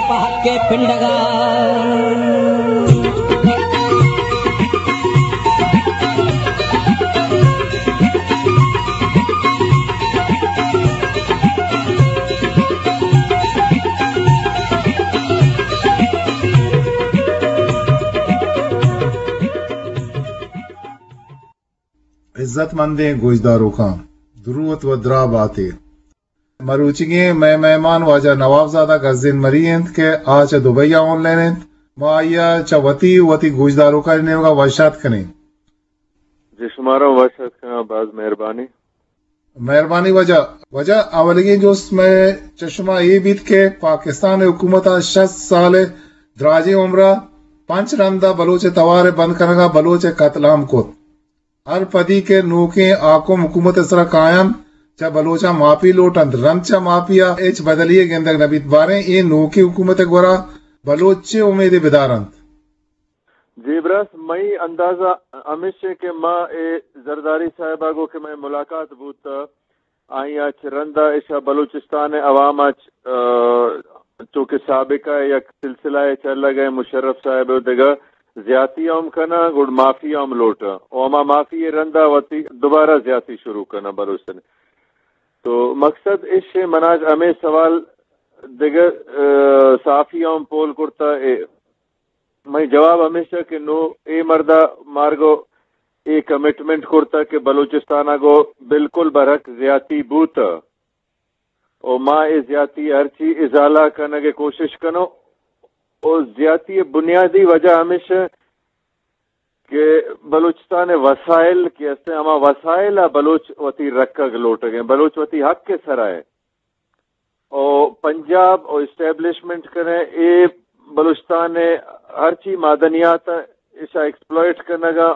پہکے پنڈگا۔ عزت مندیں گوشداروکاں، دروت و دراہ باتے۔ مروچیگیں مئے مہمان واجہ نواب زادہ گزین مری انت کہ آ چہ دبئی ءَ آن لائن انت۔ ما آئی ءَ چہ وتی، وتی گوشداروکانی نیمگ ءَ وش آتک کنیں۔ جی، شمارا وش آتک کناں، باز مہربانی۔ مہربانی واجہ۔ واجہ، اولیگیں جست مئے چہ شما اے بیت کہ پاکستان حکومت ءَ شست سال ءِ دراجیں عمر ءَ پنچ رند ءَ بلوچ ءِ توار ءِ بند کنگ ءَ بلوچ ءِ قتل عام کت۔ ہر پدی کہ نوکیں حاکم حکومت ءِ سرا کاینت، چہ بلوچاں معافی لوٹ انت، رند چہ معافی ءَ ہچ بدلی یے گندگ نہ بیت۔ باریں اے نوکیں حکومت ءِ گورا بلوچ چے امیدے بدار انت؟ جی براس، مئی اندازہ ہمیش انت کہ ما اے زرداری صاحب ءَ گوں کہ مئے ملاقات بوت، آئی ءَ چہ رند ءَ ایشاں بلوچستان ءِ عوام ءَ چ-، آ، چونکہ سابقہ ءَ یک سلسلہ ءَ چلگ ءَ مشرف صاحب ءَ دگہ زیاتی ہم کناں، گڑ معافی ہم لوٹاں۔ و ہما معافی ءِ رند ءَ وتی دوبارہ زیاتی شروع کناں بلوچستان ءَ۔ تو مقصد اش انت، منا ہمے سوال دگہ، آ، صحافی ہم پول کرتا، اے منی جواب ہمیش انت کہ نوں اے مرد ءَ مارگو اے کمٹمنٹ کرتگ کہ بلوچستان ءَ گوں بالکل برحق زیاتی بوتگ و ما اے زیاتی ءَ ہرچی ازالہ کنگ ءِ کوشش کنوں و زیاتی ءِ بنیادی وجہ ہمیش انت کہ بلوچستان ءِ وسائل کہ است انت، ہما وسائل ءَ بلوچ وتی رکگ لوٹگ ءَ انت، بلوچ وتی حق ءِ سرا انت۔ و پنجاب و اسٹیبلشمنٹ کنے اے بلوچستان ءِ ہرچی معدنیات ءَ ایشاں ایکسپلوئٹ کنگ ءَ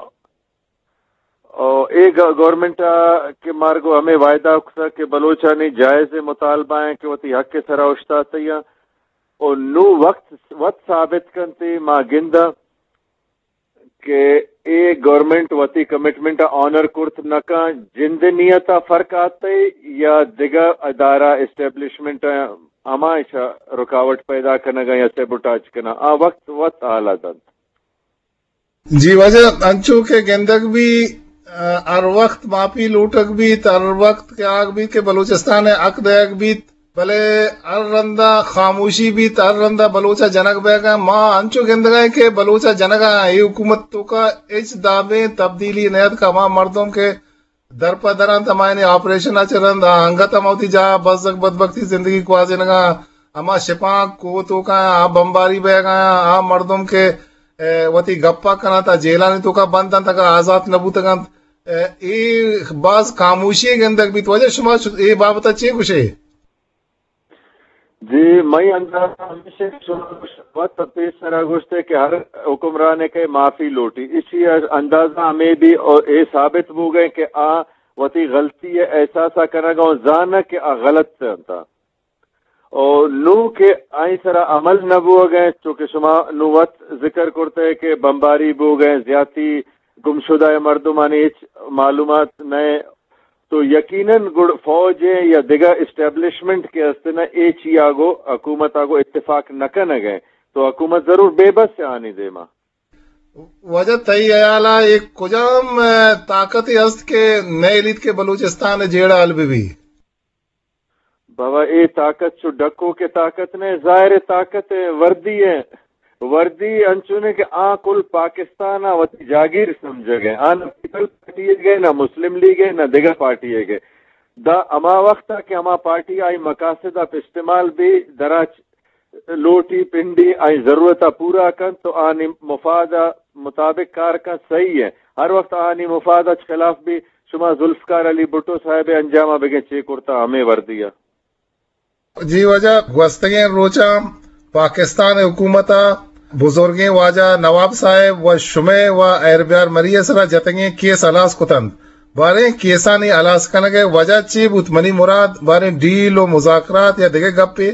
و اے گ-، گورنمنٹ ءَ کہ مارگو ہمے وعدہ کتگ کہ بلوچانی جائز مطالبہ انت کہ وتی حق ءِ سرا اوشتاتیاں و نوں وقت وت ثابت کنت، ما گنداں کہ اے گورنمنٹ وتی کمٹمنٹ ءَ آنر کرت نہ کن، جند ءِ نیت ءَ فرق آتے یا دگہ ادارہ اسٹیبلشمنٹ ءَ ہما ایشاں رکاوٹ پیدا کنگ ءَ یا سیبوٹاج کنگ ءَ، آ وقت وت حال ءَ دنت۔ جی واجہ، انچو کہ گندگ بی، آ، ہر وقت معافی لوٹگ بیت، ہر وقت کہ آگ بیت کہ بلوچستان ءَ حق دئیگ بیت، بلے ہر رندا خاموشی بیت، ہر رندا بلوچ ءَ جنگ بیگ ءَ۔ ما انچو گندگ ءَ کہ بلوچ ءَ جنگ ءَ اے حکومت توکا ہچ دابیں تبدیلی نیاتک۔ ہما مردم کہ در پہ در انت، ہمایانی آپریشن ءَ چہ رند انگت ہم وتی جاہ ءَ بزگ بدبختی زندگی گوازینگ ءَ، ہما شپانک کوہ توکا آ بمباری بیگ ءَ، آ مردم کہ، اے، وتی گپ ءَ کن انت، آ جیلانی توکا بند انت، اگاں آزات نہ بوتگ انت، اے، اے باز خاموشی گندگ بیت۔ واجہ شما اے بابت ءَ چے گوش ئے؟ جی، مئی اندازہ ہمیش انت کہ شما گوشت وت پیسر ءَ گوشت ئے کہ ہر حکمرانے کہ معافی لوٹی، ایشی ءِ اندازہ ہمے بی و اے ثابت بوگ ءَ کہ آ وتی غلطی ءِ احساس ءَ کنگ ءَ و زانگ کہ آ غلط انت۔ و نوں کہ آئی سرا عمل نہ بوگ ءَ، چونکہ شما نوں وت ذکر کرت ئے کہ بمباری بوگ ءَ، زیاتی گمشدہ ءِ مردمانی ہچ معلومات نہ، تو یقیناً گڑ فوج ءِ یا دگہ اسٹیبلشمنٹ کہ است نہ، اے چیا گو حکومت ءَ گو اتفاق نہ کنگ ءَ، تو حکومت ضرور بے بس ءَ آنی دیما۔ واجہ، تئی ہیال ءَ اے کجام، اے، طاقتے است کہ نئیلیت کہ بلوچستان ءِ جیڑہ حل بہ بی؟ بابا، اے طاقت چو ڈکوک ءِ طاقت نہ، ظاہر ءِ طاقت ءِ، وردی ءِ۔ وردی انچونے کہ آ کل پاکستان ءَ وتی جاگیر سمجھگ ءَ۔ آ نہ پیپلز پارٹی ئیگ ءَ، نہ مسلم لیگ ءَ، نہ دگہ پارٹی ئیگ ءَ۔ دا ہما وخت ءَ کہ ہما پارٹی آئی مقاصد ءَ استعمال بی، دراچ لوٹی پنڈی آئی ضرورت ءَ پورا کنت تو آنی مفاد ءِ مطابق کار کنت، صحیح ءَ۔ ہر وخت آنی مفاد ءَ خلاف بی، شما ذوالفقار علی بھٹو صاحب ءِ انجام ءَ بگیں چے کرتا ہمے وردی ءَ۔ جی واجہ، گوستگیں روچاں پاکستان ءِ حکومت ءَ بزرگیں واجہ نواب صاحب و شمئے و ہیر بیار مری ءِ سرا جتگیں کیس ہلاس کتنت۔ باریں کیسانی ہلاس کنگ ءِ وجہ چے بوت؟ منی مراد باریں ڈیل و مذاکرات یا دگہ گپے؟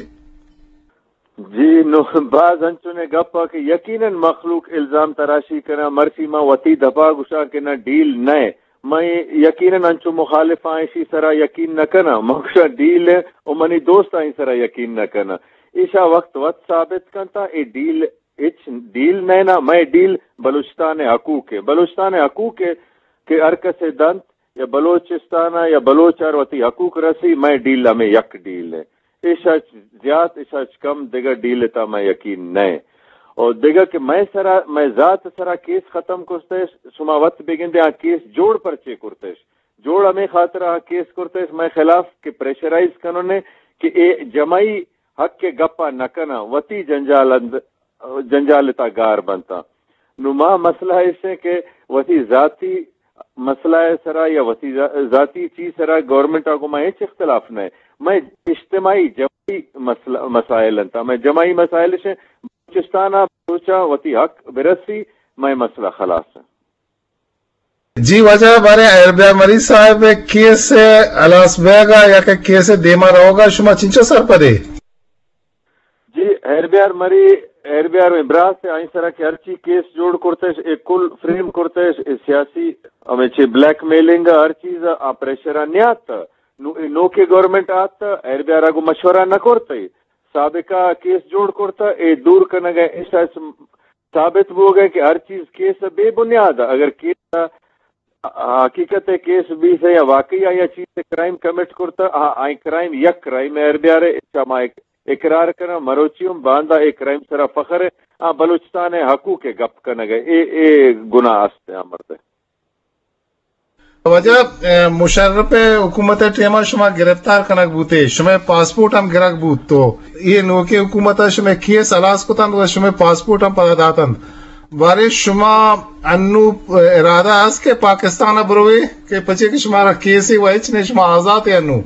جی، نو باز انچونے گپ ءَ کہ یقیناً مخلوق الزام تراشی کناں، مرچی ما وتی دپا گوشاں کہ نہ، ڈیل نہ۔ من یقیناً انچو مخالف آں، ایشی سرا یقین نہ کناں۔ من گوشاں ڈیل ءَ و منی دوست آئی سرا یقین نہ کناں۔ ایشا وقت وت ثابت کنتا، اے ڈیل ہچ ڈیل نہ نا، مئے ڈیل بلوچستان ءِ حقوق ءِ، بلوچستان ءِ حقوق ءِ کہ ہر کس ءَ دنت، یا بلوچستان ءَ یا بلوچ ءَ وتی حقوق رسی، مئے ڈیل ہمے یک ڈیل ءِ۔ ایشا زیات، ایشا کم دگہ ڈیل ءِ تہا مئے یقین نہ۔ اور دگہ کہ مئے سرا، مئے ذات سرا کیس ختم کرتش، شما وت بگندے آ کیس جوڑ پرچے کرتش؟ جوڑ ہمے خاطر آ کیس کرتش مئے خلاف کہ پریشرائز کننے کہ اے جمائی حق ءِ گپا نہ کناں، وتی جنجال اند-، جنجال ءِ تہا گار بنتاں۔ نوں ما مسئلہ ایش ایں کہ وتی ذاتی مسئلہ ءِ سرا یا وتی ذا-، ذاتی چیز سرا گورنمنٹ ءَ گوں ما ہچ اختلاف نہ۔ مئے اجتماعی جماعی مسئلہ، مسائل انت۔ مئے جماعی مسائل اش ایں، بلوچستان ءَ بلوچاں وتی حق برسی، مئے مسئلہ خلاص انت۔ جی واجہ، بارے ہیربیار مری صاحب ءِ کیس ءِ ہلاس بیگ ءَ یا کہ کیس ءِ دیما روگ ءَ شما چنچو سرپد ئے؟ جی، ہیربیار مری، ہیربیار مئے براس ءِ، آئی سرا کہ ہرچی کیس جوڑ کرتش، اے کل فریم کرتش، اے سیاسی ہمے چہ بلیک میلنگ ءَ ہر چیز ءَ آ پریشر ءَ نیات۔ نو-، اے نوکیں گورنمنٹ آت، ہیربیار ءَ گوں مشورہ نہ کرت، اے سابقہ کیس جوڑ کرت، اے دور کنگ ءَ ایشا ثابت بوگ ءَ کہ ہر چیز کیس ءِ بے بنیاد ءَ۔ اگر کیس ءِ حقیقت ءِ کیس بیت یا واقعی آئی ءَ چیز ءِ کرائم کمٹ کرتا، آ، آئی کرائم یک کرائم ءِ ہیربیار ءِ، اچ ما اق-، اقرار کناں، مروچی ہم باندا اے کرائم سرا فخر ءِ، آ بلوچستان ءِ حقوق ءِ گپ کنگ ءِ، اے، اے گناہ است ءِ آ مرد ءِ۔ واجہ، اے، مشرف ءِ حکومت ءِ ٹائم ءَ شما گرفتار کنگ بوتے، شمئے پاسپورٹ ہم گرگ بوت، تو اے نوکیں حکومت ءَ شمئے کیس ہلاس کتنت و شمئے پاسپورٹ ہم پدا داتنت۔ بارے شما انو ارادہ است کہ پاکستان ءَ بروے کہ پچے کہ شمارا کیسے و ہچ نے، شما آزات ئے انو؟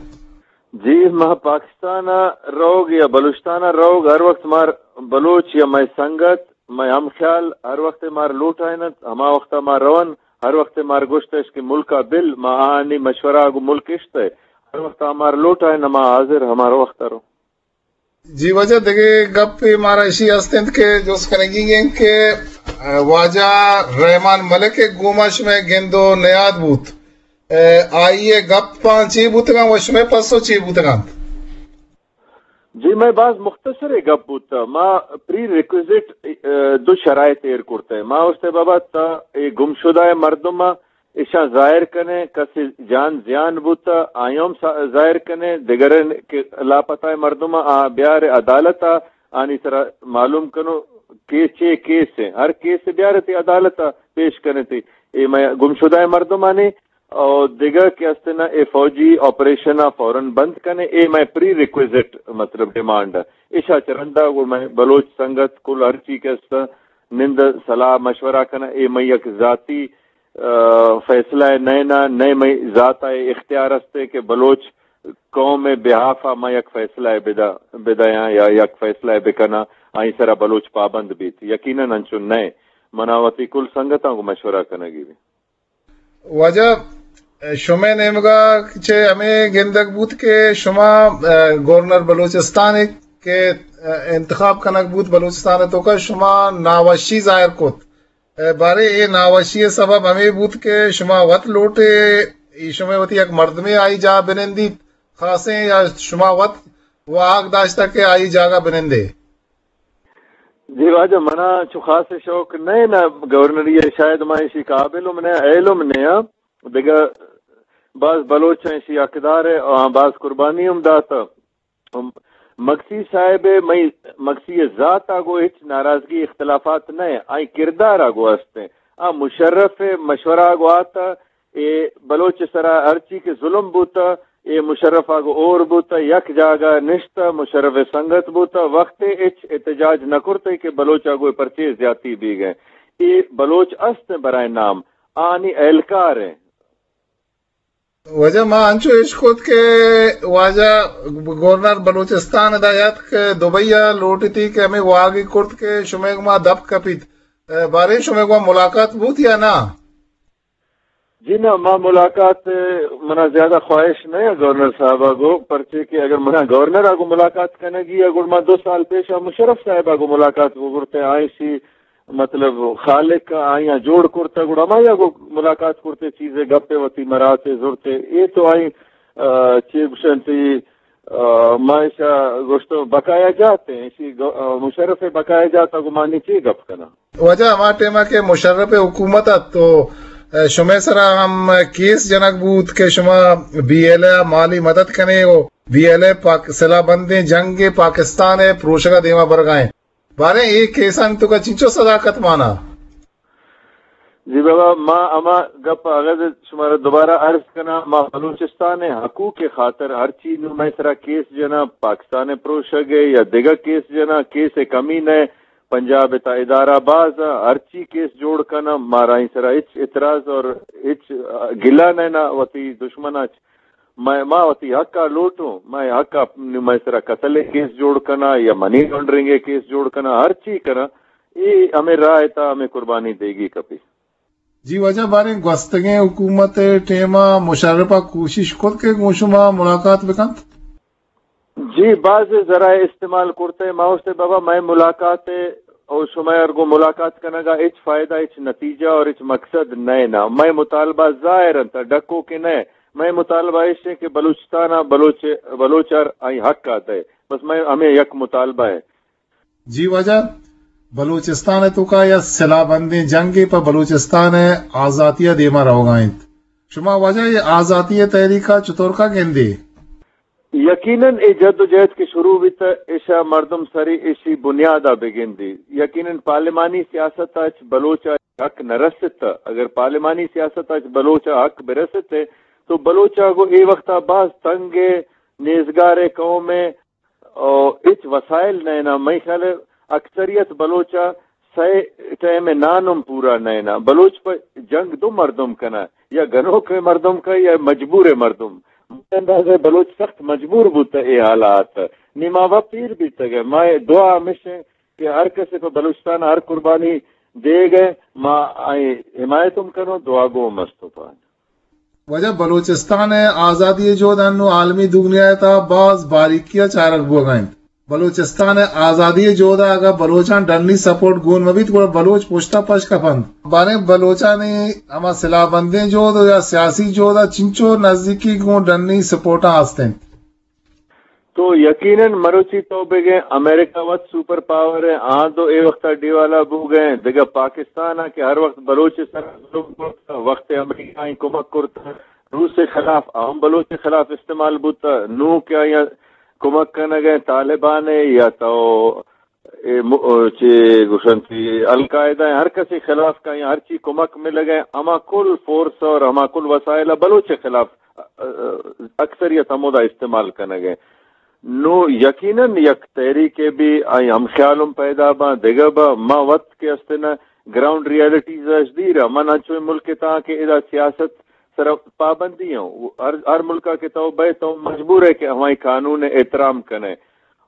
جی، ما پاکستان ءَ روگ یا بلوچستان ءَ روگ، ہر وقت مار بلوچ یا مئے سنگت، مئے ہم خیال ہر وقت مار لوٹائینت، ہما وقت ما رون، ہر وقت مار گوشتش کہ ملک ءَ بل، ما آنی مشورہ ءَ گوں ملک اشت ءِ، ہر وقت مار لوٹائینت، ما حاضر ہمارا وقت ءَ رو۔ جی واجہ، دگہ گپے مارا اشی است انت کہ جست کنگی انت کہ، ء، واجہ رحمان ملک ء گوما شمئے گند و نیاد بوت، ء، آئی ء گپاں چے بوتگاں و شمئے پسو چے بوتگاں؟ جی، مئے باز مختصر ء گپ بوت۔ ما پری ریکویزٹ، ء، دو شرائط ایر کرتہ۔ ما گوشتہ بابا تا اے گمشدہ ء مردم ء ایشاں ظاہر کنے، کسے جان زیان بوتا، آیاں ہم سا-، ظاہر کنے، دگرے کہ لاپتہ مردم آ بیار عدالت آ، آنی سرا معلوم کنو کہ چے کیس ہیں، ہر کیس بیار تی عدالت آ پیش کنے تی۔ اے مئے گمشدہ مردمانی او دگہ کہ استنا اے فوجی آپریشن آ فوراً بند کنے، اے مئے پری ریکویزٹ مطلب ڈیمانڈ ہے۔ ایشا چہ رندا گڑا مئے بلوچ سنگت کل ہر چی کہ است نند صلاح مشورہ کنا، اے مئے یک ذاتی ء، فیصلہ ء نئے نا، نئے مئے ذات ء اختیار است کہ بلوچ قوم ء بہاف ء ما یک فیصلہ ء بدا-، بدیاں یا یک فیصلہ ء بکناں، آئی سرا بلوچ پابند بیت۔ یقیناً انچو نئے۔ منا وتی کل سنگتاں گوں مشورہ کنگی بی۔ واجہ، شمئے نیمگا چہ ہمے گندگ بوت کہ شما، ء، گورنر بلوچستان ء کہ، ء، انتخاب کنگ بوت بلوچستان ء توکا شما ناوشی ظاہر کت۔ ء، بارے اے ناوشی ء سبب ہمے بوت کہ شما وت لوٹے، ایشمئے وتی یک مردمے آئی جاہ بنندیت خاصیں، یا شما وت واہگ داشتہ کہ آئی جاگہ بنندے؟ جی واجہ، منا چو خاص شوق نہ نا گورنری ء، شاید ما ایشی قابل ہم نہ، اہل ہم نہ آں۔ دگہ باز بلوچ ہیں ایشی حقدار ہے، آ باز قربانی ہم داتا۔ مگسی صاحب ء مئی مگسی ء ذات ء گوں ہچ ناراضگی اختلافات نہ، آئی کردار ء گوں است۔ آ مشرف ء مشورہ ء گوں آتا، اے بلوچ ء سرا ہرچی کہ ظلم بوتا، اے مشرف ء گوں اور بوتا، یک جاگہ نشتا، مشرف ء سنگت بوتا، وقت ء ہچ احتجاج نہ کرتے کہ بلوچ ء گوں پرچے زیاتی بیگ ء۔ اے بلوچ است برائے نام، آنی اہلکار ہیں۔ واجہ، ما انچو اشکت کہ واجہ گورنر بلوچستان ادا یاتک، دبئی ء لوٹتی کہ ہمے واہگی کرت کہ شمئے گوما دپ کپیت۔ ء، باریں شمئے گوما ملاقات بوت یا نا؟ جی نا، ما ملاقات، ء، منا زیادہ خواہش نہ ہے گورنر صاحب ء گوں، پرچے کہ اگر منا گورنر ء گوں ملاقات کنگی ء گڑا ما دو سال پیش ء مشرف صاحب ء گوں ملاقات بگرتے، آئی سی مطلب خالق آیاں جوڑ کرتہ، گڑا ہمایا گوں ملاقات کرتے، چیزے گپے وتی مراتے زرتے۔ اے تو آئی، ء، چے گوشنتی، آ، ما ایشا گوشت بقایا جات ہیں، ایشی گ-، آ، مشرف بقایا جات ءَ گوں ما نی چی گپ کناں؟ واجہ ہما ٹائم ءَ کہ مشرف حکومت ات تو، آ، شمئے سرا ہم کیس جنگ بوت کہ شما بی ایل اے ءَ مالی مدد کنے و بی ایل اے پاک-، سلاح بندیں جنگ ءَ پاکستان ءِ پروشگ ءَ دیما برگا ایں۔ باریں اے کیسانی توکا چنچو صداقت مانا؟ جی بابا، ما ہما گپ اگد شمارا دوبارہ عرض کناں، ما بلوچستان ءِ حقوق ءِ خاطر ہرچی نوں مئے سرا کیس جناں، پاکستان ءِ پروشگ ءِ یا دگہ کیس جناں، کیس ءِ کمی نہ، پنجاب ءِ تھا ادارہ باز آں، ہرچی کیس جوڑ کناں، مارا آئی سرا ہچ اعتراض اور ہچ گلہ نہ، نہ وتی دشمن ءَ چ۔ مئے، ما وتی حق ءَ لوٹوں، مئے حق ءَ نوں مئے سرا قتل ءِ کیس جوڑ کناں یا منی لانڈرنگ ءِ کیس جوڑ کناں، ہرچی کناں، اے ہمے راہ ءِ تھا ہمے قربانی دیگی کپی۔ جی واجہ، باریں گوستگیں حکومت ءِ ٹائم ءَ مشرف ءَ کوشش کت کہ گوں شما ملاقات بکنت؟ جی، باز ذرائع استعمال کرتے، ما گوشتے بابا مئے ملاقات ءَ او شمئے ار گوں ملاقات کنگ ءَ ہچ فائدہ، ہچ نتیجہ اور ہچ مقصد نئے نا۔ مئے مطالبہ ظاہر انت، ڈکو کہ نئے۔ مئے مطالبہ ایش ہے کہ بلوچستان ءَ بلوچ، بلوچ ار آئی حق ءَ دے۔ بس مئے ہمیں یک مطالبہ ہے۔ جی واجہ، بلوچستان ءِ توکا یا سلاہ بندیں جنگے پہ بلوچستان ءِ آزاتی ءَ دیما روگا انت۔ شما واجہ اے آزاتی ءِ تحریک ءَ چطور کا گندے؟ یقیناً اے جد و جہد کہ شروع بیت، ایشا مردم سری ایشی بنیاد ءَ بگندی۔ یقیناً پارلیمانی سیاست ءَ اچ بلوچ ءَ حق نہ رسیت۔ اگر پارلیمانی سیاست ءَ اچ بلوچ ءَ حق برسیت تو بلوچ ءَ گوں اے وقت ءَ باز تنگ ءِ، نیزگار ءِ قوم ءِ، او ہچ وسائل نہ اناں۔ مئے خیال ءَ اکثریت بلوچ ءَ سئے ٹائم ءِ نان ہم پورا نہ اناں۔ بلوچ پہ جنگ دو مردم کناں، یا گنوک ءِ مردم کا یا مجبور ءِ مردم۔ مئے اندازہ بلوچ سخت مجبور بوتہ اے حالات۔ نی ما وت پیر بیتگ ءَ۔ ما دعا ہمیش ایں کہ ہر کسے پہ بلوچستان ءَ ہر قربانی دیگ ءَ، ما آئی حمایت ہم کنوں، دعا گو ہم استوں پہ آں۔ واجہ، بلوچستان ءِ آزادی ءِ جہد انوں عالمی دگنیا ءِ تہا باز باریکی ءَ چارگ بوگ ءَ انت۔ بلوچستان ءِ آزادی ءِ جہد ءَ اگاں بلوچاں ڈنی سپورٹ گون مہ بیت گڑا بلوچ پشت ءَ پش کپ انت۔ باریں بلوچانی ہما سلاہ بندیں جہد یا سیاسی جہد ءَ چنچو نزیکی گوں ڈنی سپورٹاں است انت؟ تو یقیناً مروچی تو بگئے امریکہ وت سپر پاور ہے، آں دو اے وقت ءَ ڈیوالا بوگ ءَ انت۔ دگہ پاکستان ءَ کہ ہر وقت بلوچ ءِ سر ءَ ظلم کرت، وقت امریکہ ءَ کمک کرت، روس ءِ خلاف، ہم بلوچ ءِ خلاف استعمال بوت، نوں کہ آیاں کمک کنگ ءَ طالبان ءَ یا تو اے م-، او، چے گوشنتی القاعدہ ءَ ہر کسی خلاف کا یا ہر چی کمک ملگ ءَ، ہما کل فورس اور ہما کل وسائل ءَ بلوچ ءِ خلاف، ا-، ا-، اکثریت ہمودا استعمال کنگ ءَ۔ نو یقیناً یک تحریک ءَ بھی آئی ہم خیال ہم پیدا باں، دگہ با ما وت کہ استنا گراؤنڈ ریالٹیز اش دیر ءَ، من انچویں ملک ءِ تاں کہ ادا سیاست سر پابندی ہیں۔ ہر، ہر ملک ءَ کہ تو بئے تو مجبور ہے کہ ہمائی قانون ءَ احترام کنے۔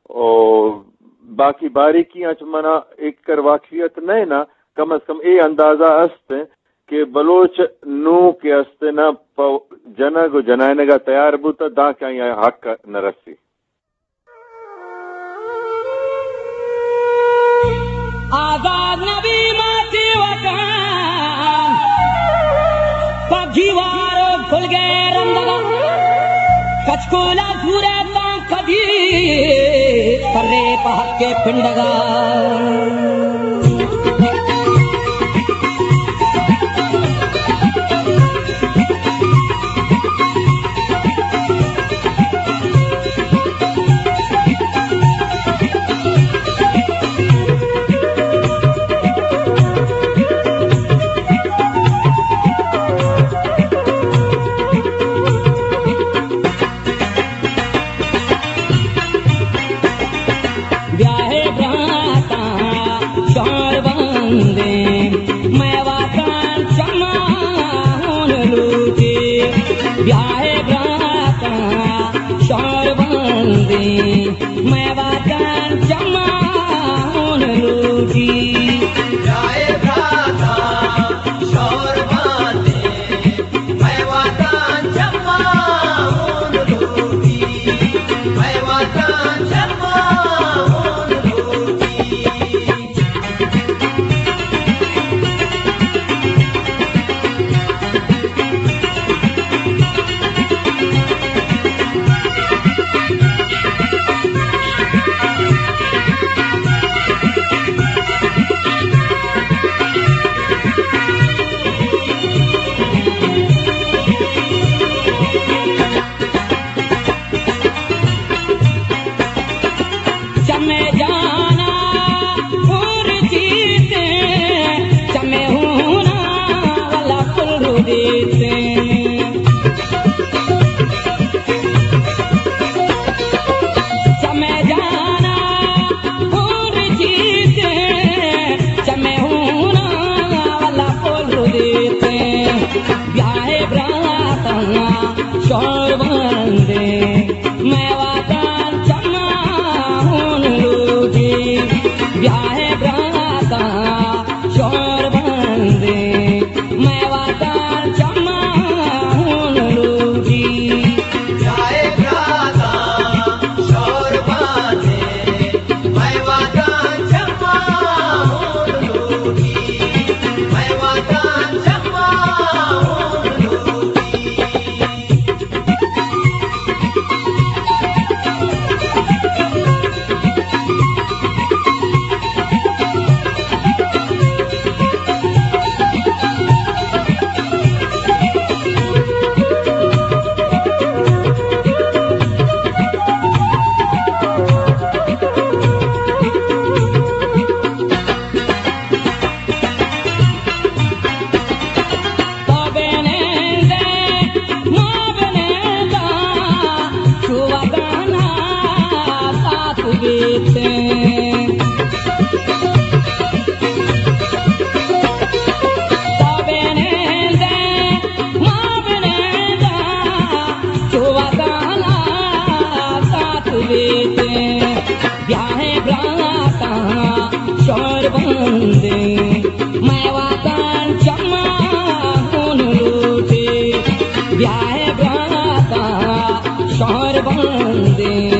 او باقی باریکیاں چہ منا ایکر واقفیت نہ نا، کم از کم اے اندازہ است کہ بلوچ نوں کہ است نا پہ جنگ و جنائنگ ءَ تیار بوتا داں کہ آئی حق نہ رسی۔ آزاد نبی ماتی وطن، پہ گیوار و گلگے رندگا، کچکولا زورے تاں کدی، پرے پہ حق پنڈگا۔ بیا ہے براتاں شہر بندیں، مئے وطن چماں ہون لوٹی۔ بیا ہے براتاں شہر بندیں، مئے وطن چماں ہون لوٹی۔ بیا ہے براتاں شہر بندیں، مئے وطن چماں ہون لوٹی، مئے وطن چماں ہون لوٹی۔ چمے جانا پور جیتے، چمے ہونا والا پور دیتے۔ چمے جانا پور جیتے، چمے ہونا والا پور دیتے۔ بیاہے براتاں شور بندے، مئے واتاں چماں ہون لوٹی۔ بیاہے براتاں شور بندے، مئے واتاں چماں ہون لوٹی۔ بیاہے براتاں شور بندے، مئے واتاں چماں ہون لوٹی۔ مئے واتاں چماں ہون لوٹی۔ تو بنندے، ما بننداں، چو وتانا سات بیتیں۔ تو بنندے، ما بننداں، چو وتانا سات بیتیں۔ بیاہے براتاں شور بندے، مئے واتاں چماں ہون لوٹی۔ بیاہے براتاں شور بندے،